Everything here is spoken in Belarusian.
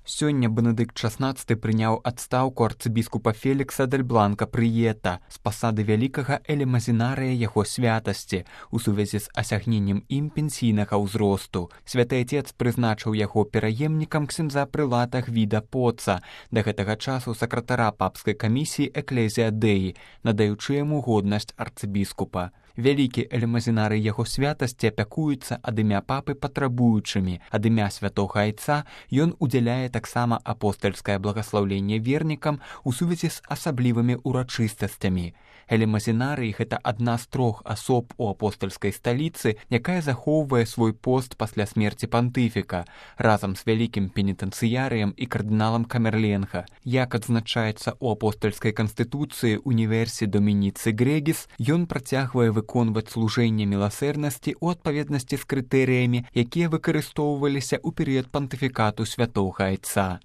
Сёння Бенедыкт XVI прыняў адстаўку арцыбіскупа Фелікса дель Бланка Прыета з пасады вялікага элемазінарыя яго святасці у сувязі з асягненнем ім пенсійнага ўзросту. Святы Отец прызначыў яго пераемнікам ксяндза прылата Гвіда Поца, да гэтага часу сакратара папскай камісіі Экклезія Дэі, надаючы яму годнасць арцыбіскупа. Вялікі элемазінарый яго святасці апякуецца ад імя папы патрабуючымі, ад імя святога айца ён удзяляе таксама апостальскае благаслаўленне вернікам у сувязі з асаблівымі урачыстасцямі. Элемазінарый – гэта адна з 3 асоб у апостальскай сталіцы, якая захоўвае свой пост пасля смерці пантыфіка, разам з вялікім пенітэнцыярыем і кардыналам Камерленга. Як адзначаецца ў апостальскай канстытуцыі Універсі Домініцы Грегіс, ён працягвае выконваць служэнне міласэрнасці ў адпаведнасці з крытэрыямі, якія выкарыстоўваліся ў перыяд пантыфікату святога айца.